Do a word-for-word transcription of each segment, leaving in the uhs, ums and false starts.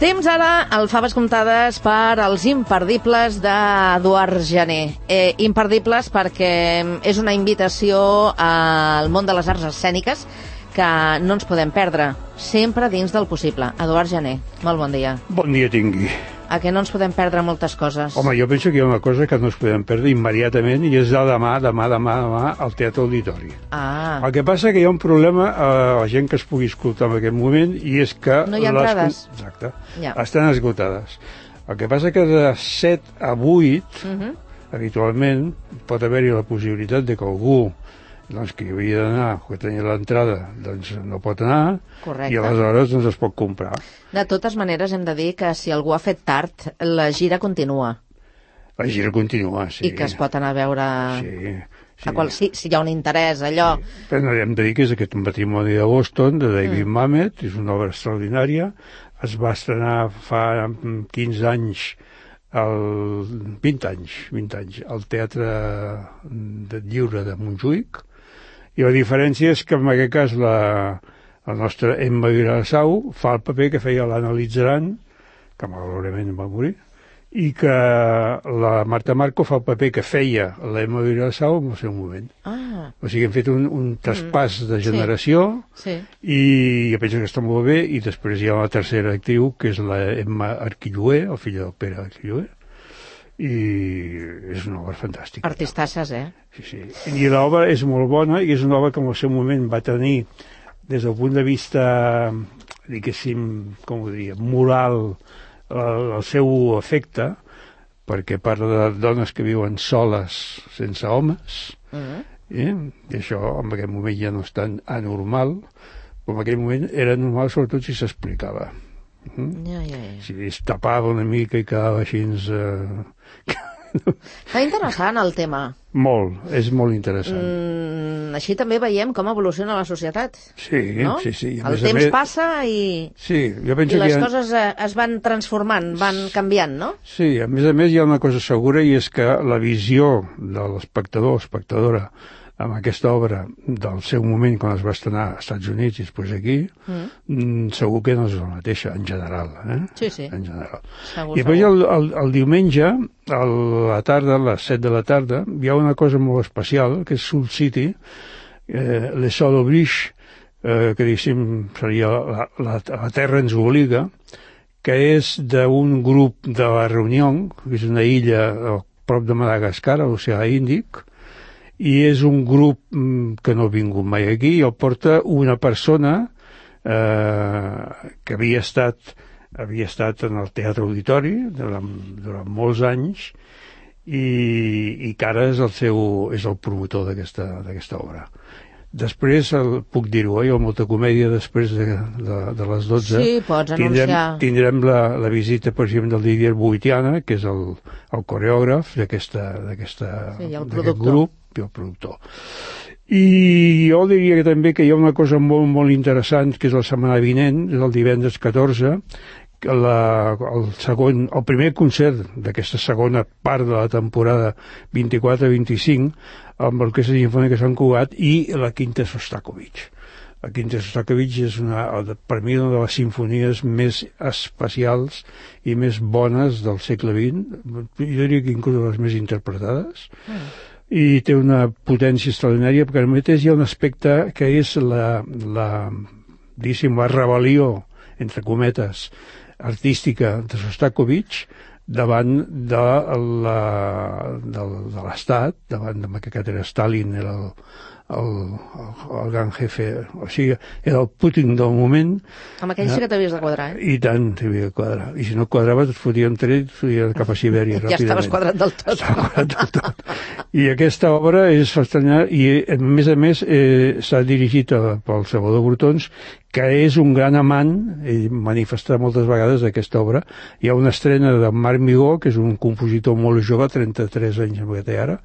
Temps ara al Faves Comptades per als imperdibles d'Eduard Jané. Eh, imperdibles perquè és una invitació al món de les arts escèniques que no ens podem perdre, sempre dins del possible. Eduard Jané, molt bon dia. Bon dia tingui. A què no ens podem perdre moltes coses? Home, jo penso que hi ha una cosa que no ens podem perdre immediatament i és de demà, demà, demà, demà al Teatre Auditori. Ah. El que passa que hi ha un problema a la gent que es pugui escoltar en aquest moment i és que... No hi ha entrades. Les... Exacte. Ja. Estan esgotades. El que passa que de set a vuit, uh -huh. habitualment, pot haver-hi la possibilitat de que algú doncs, que hi havia d'anar, que tenia l'entrada, doncs no pot anar. Correcte. I aleshores doncs, es pot comprar. De totes maneres, hem de dir que si algú ha fet tard, la gira continua. La gira continua, sí. I que es pot anar a veure... Sí, sí. A qual, si, si hi ha un interès, allò... Sí. Però hem de dir que és aquest matrimoni de Boston, de David mm. Mamet, és una obra extraordinària, es va estrenar fa quinze anys, el... vint anys, vint anys, al Teatre de Lliure de Montjuïc, i la diferència és que en aquest cas la, la nostra Emma Vilassau fa el paper que feia l'Analitzaran, que malauradament va morir, i que la Marta Marco fa el paper que feia l'Emma Vilassau en el seu moment. Ah. O sigui, hem fet un, un traspàs mm. de generació sí. Sí. i jo penso que està molt bé, i després hi ha la tercera actriu, que és la Emma Arquilloé, el fill del Pere Arquilloé, i és una obra fantàstica. Artistasses, eh? Sí, sí. I l'obra és molt bona i és una obra que en el seu moment va tenir, des del punt de vista, diguéssim, com ho diria, moral, el, el seu efecte, perquè parla de dones que viuen soles, sense homes, uh-huh. eh? I això en aquell moment ja no és tan anormal, però en aquell moment era normal, sobretot si s'explicava. Mm? Ja, ja, ja. Si es tapava una mica i quedava així... Eh... Està interessant el tema. Molt, és molt interessant. Mm, així també veiem com evoluciona la societat. Sí, no? sí, sí. El temps més... passa i, sí, jo penso i les que ha... coses es van transformant, van canviant, no? Sí, a més a més hi ha una cosa segura, i és que la visió de l'espectador o espectadora amb aquesta obra del seu moment quan es va estrenar als Estats Units i després aquí, mm. segur que no és la mateixa, en general. Eh? Sí, sí. En general. Segur, I després segur. el, el, el diumenge, a la tarda, a les set de la tarda, hi ha una cosa molt especial, que és Soul City, eh, Les Sol Oblige, eh, que diguéssim seria la, la, la Terra ens obliga, que és d'un grup de la Reunió, que és una illa a prop de Madagascar, a l'oceà Índic, i és un grup que no ha vingut mai aquí, i el porta una persona eh, que havia estat, havia estat en el Teatre Auditori durant, durant molts anys, i, i que ara és el, seu, és el promotor d'aquesta d'aquesta obra. Després, el, puc dir-ho, eh, molta comèdia després de, de, de les dotze. Sí, pots tindrem, anunciar. Tindrem la, la visita, per exemple, del Didier Boitiana, que és el, el coreògraf d'aquesta sí, d'aquest grup, i el productor. I jo diria que també que hi ha una cosa molt, molt interessant, que és la setmana vinent, és el divendres catorze, que la, el, segon, el primer concert d'aquesta segona part de la temporada vint-i-quatre vint-i-cinc, amb l'Orquestra Simfònica de Sant Cugat i la Quinta Sostakovich. La Quinta Sostakovich és una, per mi, una de les simfonies més especials i més bones del segle vint, jo diria que inclús les més interpretades, mm. i té una potència extraordinària, perquè al mateix hi ha un aspecte que és la, la, diguéssim, la rebel·lió, entre cometes, artística de Sostakovich davant de l'Estat, davant de que era Stalin, era el, el, el, el gran jefe, o sigui, era el Putin del moment. Amb aquell sí que t'havies de quadrar, eh? I tant t'havia de quadrar. I si no quadraves et fotien tret, et fotien cap a Sibèria. Ja estaves quadrat del tot. Estava quadrat del tot. I aquesta obra és extraordinària, i a més a més eh, s'ha dirigit a, pel Salvador Brotons, que és un gran amant, ell manifestarà moltes vegades d'aquesta obra. Hi ha una estrena de Marc Migó, que és un compositor molt jove, trenta-tres anys amb que té ara,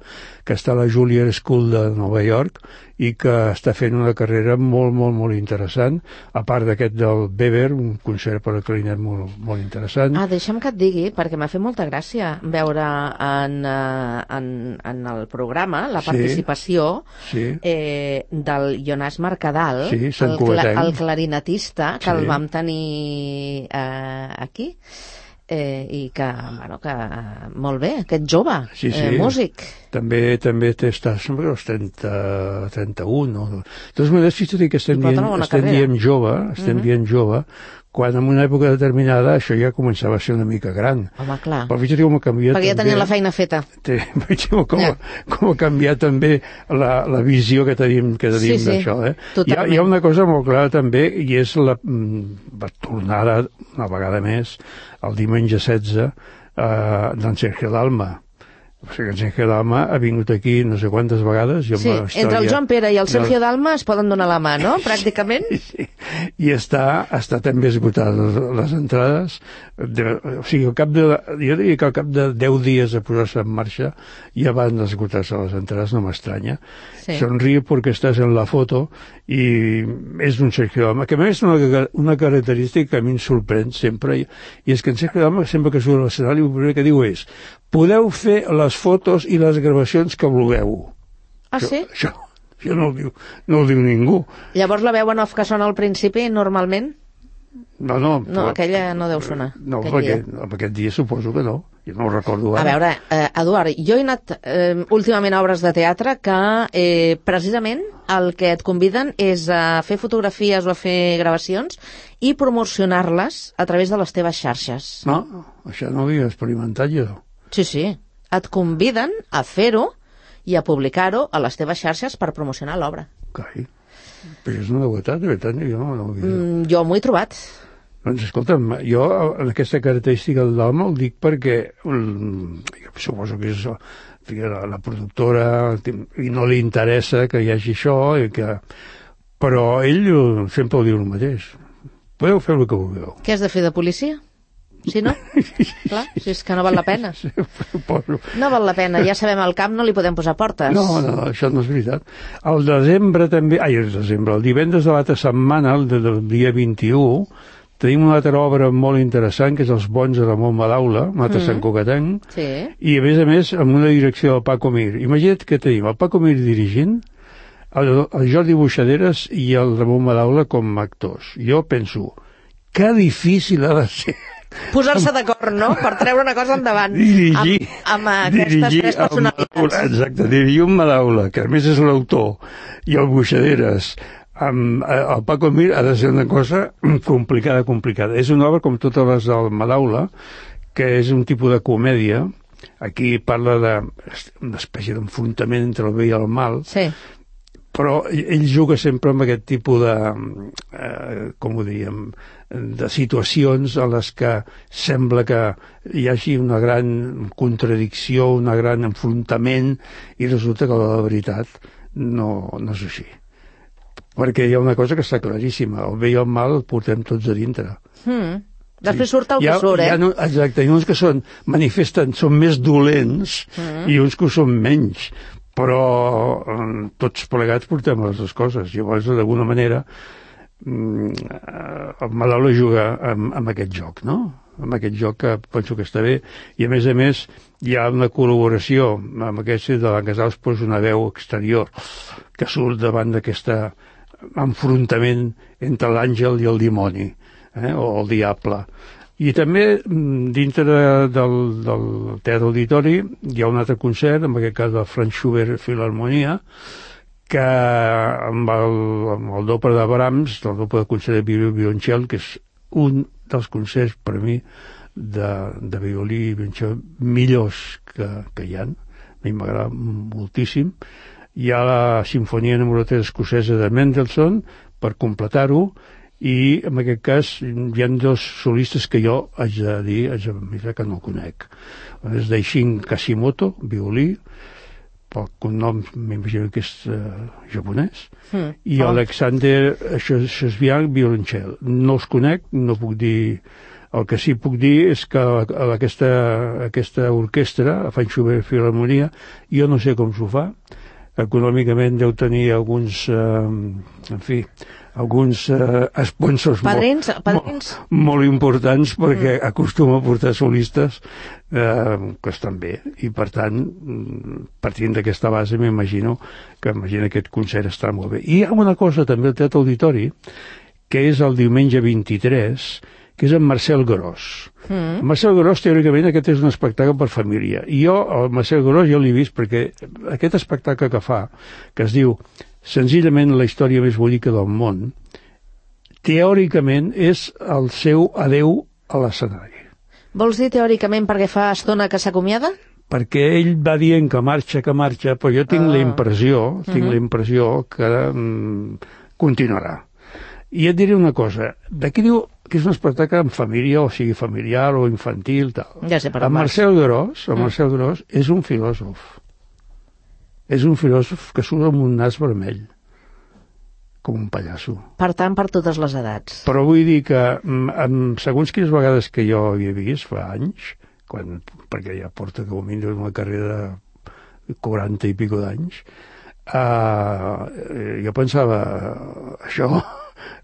que està a la Juilliard School de Nova York, i que està fent una carrera molt, molt, molt interessant, a part d'aquest del Weber, un concert per a clarinet molt, molt interessant. Ah, deixa'm que et digui, perquè m'ha fet molta gràcia veure en, en, en el programa la participació sí, sí. Eh, del Jonas Mercadal, sí, el, cla el clarinetista, que sí. el vam tenir eh, aquí, eh, i que, bueno, que molt bé, aquest jove, sí, sí. Eh, músic. També també està, sembla que als trenta, trenta-un, no? De totes maneres, si tot i que estem dient, estem dient jove, estem uh -huh. dient jove, quan en una època determinada això ja començava a ser una mica gran. Home, clar. Però fixa't com ha canviat. Perquè ja tenien la feina feta. Fixa't com, yeah. com ha canviat també la, la visió que tenim, que tenim sí, d'això. Eh? Hi, ha, hi ha una cosa molt clara també, i és la, la tornada, una vegada més, el diumenge setze, eh, d'en Sergio Dalma. O sigui, en Sergio Dalma ha vingut aquí no sé quantes vegades. Jo sí, història... entre el Joan Pere i el Sergio Dalma es poden donar la mà, no? Pràcticament. Sí, sí. I està, està també esgotat les, les entrades. De, o sigui, al cap de, jo diria que al cap de deu dies de posar-se en marxa ja van esgotar-se les entrades, no m'estranya. Sí. Sonríe perquè estàs en la foto i és un Sergio Dalma, que a més és una, una característica que a mi em sorprèn sempre, i, i és que en Sergio Dalma sempre que surt a l'escenari el primer que diu és: podeu fer les fotos i les gravacions que vulgueu. Ah, això, sí? Això, això no, ho diu, no ho diu ningú. Llavors la veu en off que sona al principi, normalment? No, no. No, però, aquella no deu sonar. No, perquè dia. aquest dia suposo que no. Jo no ho recordo ara. A veure, eh, Eduard, jo he anat eh, últimament a obres de teatre que eh, precisament el que et conviden és a fer fotografies o a fer gravacions i promocionar-les a través de les teves xarxes. No, això no ho havia experimentat jo. Sí, sí. Et conviden a fer-ho i a publicar-ho a les teves xarxes per promocionar l'obra. Cai. Però és una novetat, de veritat, jo no ho havia... Mm, jo m'ho he trobat. Doncs escolta'm, jo en aquesta característica del Dalma ho dic perquè um, jo suposo que és la, la productora i no li interessa que hi hagi això, i que... però ell sempre ho diu el mateix. Podeu fer el que vulgueu. Què has de fer, de policia? Si no? Clar, si és que no val la pena. No val la pena, ja sabem, al camp no li podem posar portes. No, no, això no és veritat. Al desembre també, ai, el desembre, el divendres de l'altra setmana, el del dia vint-i-u, tenim una altra obra molt interessant, que és Els bons de Ramon Madaula, un altre mm. Sant Cugatenc, sí. I a més a més amb una direcció del Paco Mir. Imagina't que tenim el Paco Mir dirigint, el, el Jordi Buixaderes i el Ramon Madaula com a actors. Jo penso, que difícil ha de ser posar-se d'acord, no?, per treure una cosa endavant. Dirigir, amb, amb aquestes tres personalitats. Exacte, dirigir un Madaula, que a més és l'autor, i el Buixaderes, amb el Paco Mir, ha de ser una cosa complicada, complicada. És una obra com totes les del Madaula, que és un tipus de comèdia. Aquí parla d'una espècie d'enfrontament entre el bé i el mal, sí. Però ell juga sempre amb aquest tipus de, eh, com ho diríem, de situacions en les que sembla que hi hagi una gran contradicció, un gran enfrontament, i resulta que la veritat no, no és així. Perquè hi ha una cosa que està claríssima, el bé i el mal el portem tots a dintre. Mm. Després surt el que surt, eh? No, exacte, hi ha uns que són, manifesten, són més dolents mm. i uns que ho són menys. Però tots plegats portem les dues coses. Llavors, d'alguna manera, el Madaula juga amb, amb aquest joc, no? Amb aquest joc que penso que està bé. I, a més a més, hi ha una col·laboració amb aquest de la Casals, posa una veu exterior que surt davant d'aquest enfrontament entre l'àngel i el dimoni, eh? O el diable. I també, dintre de, del, del Teatre Auditori, hi ha un altre concert, en aquest cas del Franz Schubert Filharmonia, que amb el, amb el doble de Brahms, el doble de concert de violí i violoncel, que és un dels concerts, per mi, de, de violí i violoncel millors que, que hi ha. A mi m'agrada moltíssim. Hi ha la Sinfonia número tres escocesa de Mendelssohn, per completar-ho, i en aquest cas hi ha dos solistes que jo haig de dir, haig de dir que no conec. És Daishin Kashimoto, violí, pel cognom m'imagino que és uh, japonès, mm. i oh. Alexander Shesbian, violoncel. No els conec, no puc dir... El que sí puc dir és que aquesta, aquesta orquestra, la Franz Schubert Filharmonia, jo no sé com s'ho fa, econòmicament deu tenir alguns, eh, en fi, alguns eh, sponsors padrins, molt, padrins. molt, molt importants, perquè mm. acostuma a portar solistes eh, que estan bé, i per tant, partint d'aquesta base, m'imagino que imagino aquest concert està molt bé. I hi ha una cosa també al Teatre Auditori, que és el diumenge vint-i-tres, que és en Marcel Gros. Mm. Marcel Gros, teòricament, aquest és un espectacle per família. I jo, el Marcel Gros, jo l'he vist perquè aquest espectacle que fa, que es diu senzillament la història més bonica del món, teòricament és el seu adeu a l'escenari. Vols dir teòricament perquè fa estona que s'acomiada? Perquè ell va dient que marxa, que marxa, però jo tinc ah. la impressió, tinc uh-huh. la impressió que mm, continuarà. I et diré una cosa, d'aquí diu que és un espectacle en família, o sigui familiar o infantil, tal. Ja sé per on vas. Marcel Gros, el Marcel Gros és un filòsof. És un filòsof que surt amb un nas vermell, com un pallasso. Per tant, per totes les edats. Però vull dir que, amb, segons quines vegades que jo havia vist, fa anys, quan, perquè ja porta com a mínim una carrera de quaranta i pico d'anys, uh, jo pensava, això,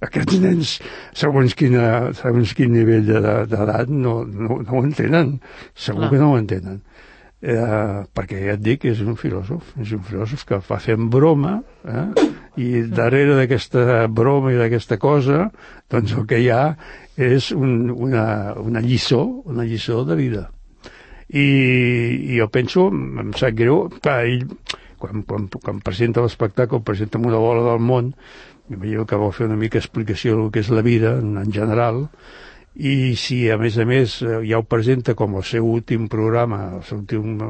aquests nens, segons, quina, segons quin nivell d'edat, no, no, no ho entenen. Segur Clar. que no ho entenen. Eh, perquè ja et dic que és un filòsof, és un filòsof que fa fent broma, eh? I darrere d'aquesta broma i d'aquesta cosa, doncs el que hi ha és un, una, una lliçó, una lliçó de vida. I, i jo penso, em sap greu, clar, ell, quan, quan, quan presenta l'espectacle, presenta amb una bola del món, m'imagino que vol fer una mica explicació del que és la vida en, en general, i si a més a més ja ho presenta com el seu últim programa, el seu últim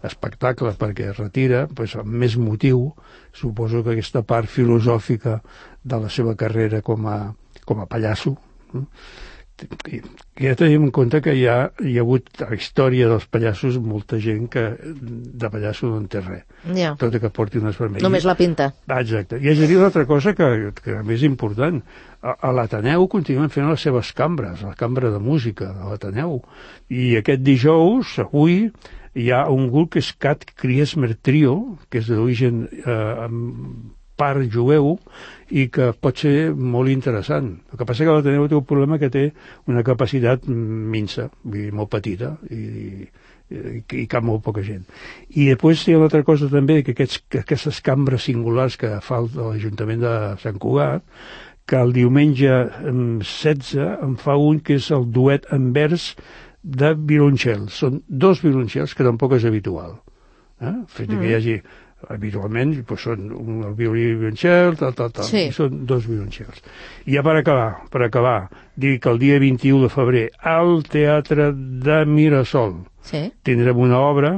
espectacle perquè es retira, doncs amb més motiu suposo que aquesta part filosòfica de la seva carrera com a, com a pallasso, i ja tenim en compte que hi ha, hi ha hagut a la història dels pallassos molta gent que de pallasso no en té res, ja. tot i que porti unes vermelles. Només la pinta. Ah, exacte. I és a dir una altra cosa que, que a més important, a, a l'Ateneu continuen fent les seves cambres, la cambra de música de l'Ateneu, i aquest dijous, avui, hi ha un grup que és Cat Kriesmer Trio, que és d'origen eh, part jueu, i que pot ser molt interessant. El que passa que l'Ateneu té un problema que té una capacitat minsa, vull dir, molt petita, i, i, i cap molt poca gent. I després hi ha una altra cosa també, que, aquests, que aquestes cambres singulars que fa l'Ajuntament de Sant Cugat, que el diumenge setze en fa un que és el duet en vers de violoncels. Són dos violoncels que tampoc és habitual. Eh? Fet mm. que hi hagi habitualment doncs són un, el violí i el violoncel, tal, tal, tal, sí. I són dos violoncels. I ja per acabar, per acabar, dir que el dia vint-i-u de febrer al Teatre de Mirasol sí. tindrem una obra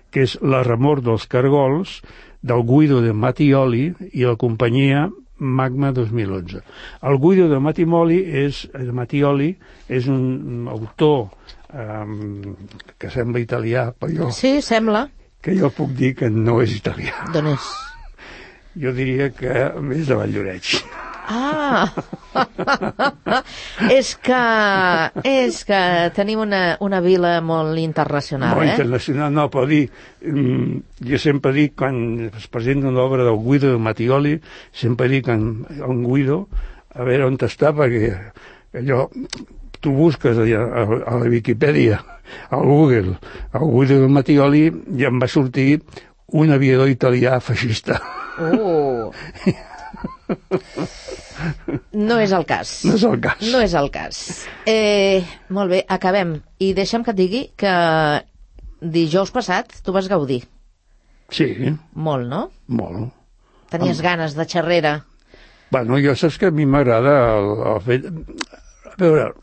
que és La remor dels cargols, del Guido de Mattioli i la companyia Magma dos mil onze. El Guido de Mattioli és, de Mattioli és un autor um, que sembla italià, però jo... Sí, sembla. Que jo puc dir que no és italià. D'on és? Jo diria que és de Valldoreix. Ah! és que és que tenim una, una vila molt internacional, molt eh? Molt internacional, no, però dir... Jo sempre dic, quan es presenta una obra del Guido de Mattioli, sempre dic en, en Guido, a veure on està, perquè allò... Tu busques a, a, a la Viquipèdia, al Google, al Guido de Mattioli, i em va sortir un aviador italià feixista. Oh! No és el cas. No és el cas. No és el cas. Eh, molt bé, acabem. I deixa'm que et digui que dijous passat tu vas gaudir. Sí. Molt, no? Molt. Tenies Am... ganes de xerrera. Bueno, jo saps que a mi m'agrada el, el fet... A veure...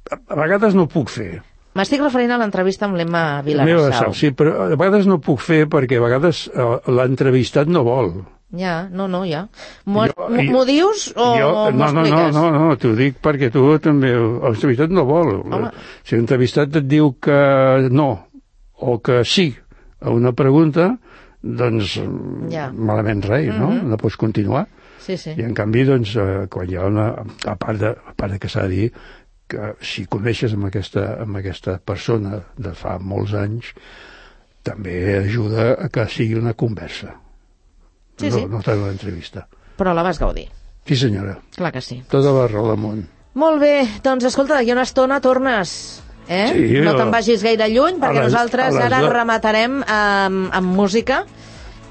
a vegades no puc fer. M'estic referint a l'entrevista amb l'Emma Vilarassau. Sí, però a vegades no puc fer perquè a vegades l'entrevistat no vol. Ja, no, no, ja. M'ho dius o m'ho expliques? No, no, no, no, t'ho dic perquè tu també... L'entrevistat no vol. Home. Si l'entrevistat et diu que no o que sí a una pregunta, doncs ja. Malament res, no? Mm-hmm. No pots continuar. Sí, sí. I en canvi, doncs, eh, quan hi ha una... A part de, a part de que s'ha de dir que si coneixes amb aquesta, amb aquesta persona de fa molts anys, també ajuda a que sigui una conversa. Sí, no, sí. No tant una entrevista. Però la vas gaudir. Sí, senyora. Clar que sí. Tota la raó del món. Molt bé, doncs escolta, d'aquí una estona tornes, eh? Sí, no a- te'n vagis gaire lluny, perquè a les- nosaltres a les ara do- rematarem amb, amb música,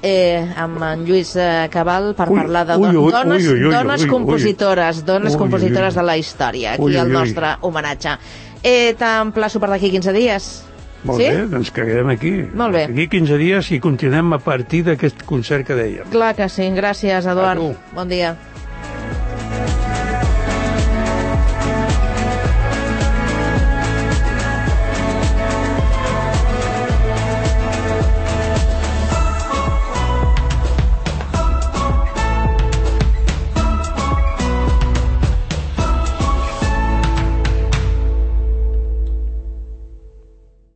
eh, amb en Lluís eh, Cabal, per Ui, parlar de ui, don- ui, dones, ui, ui, ui, dones ui, ui. compositores, dones Ui, ui, compositores ui. de la història, aquí Ui, ui, el ui. nostre homenatge. Eh, T'emplaço per d'aquí quinze dies. Molt sí? bé, doncs que quedem aquí. Molt bé. Aquí quinze dies i continuem a partir d'aquest concert que dèiem. Clar que sí. Gràcies, Eduard. A tu. Bon dia.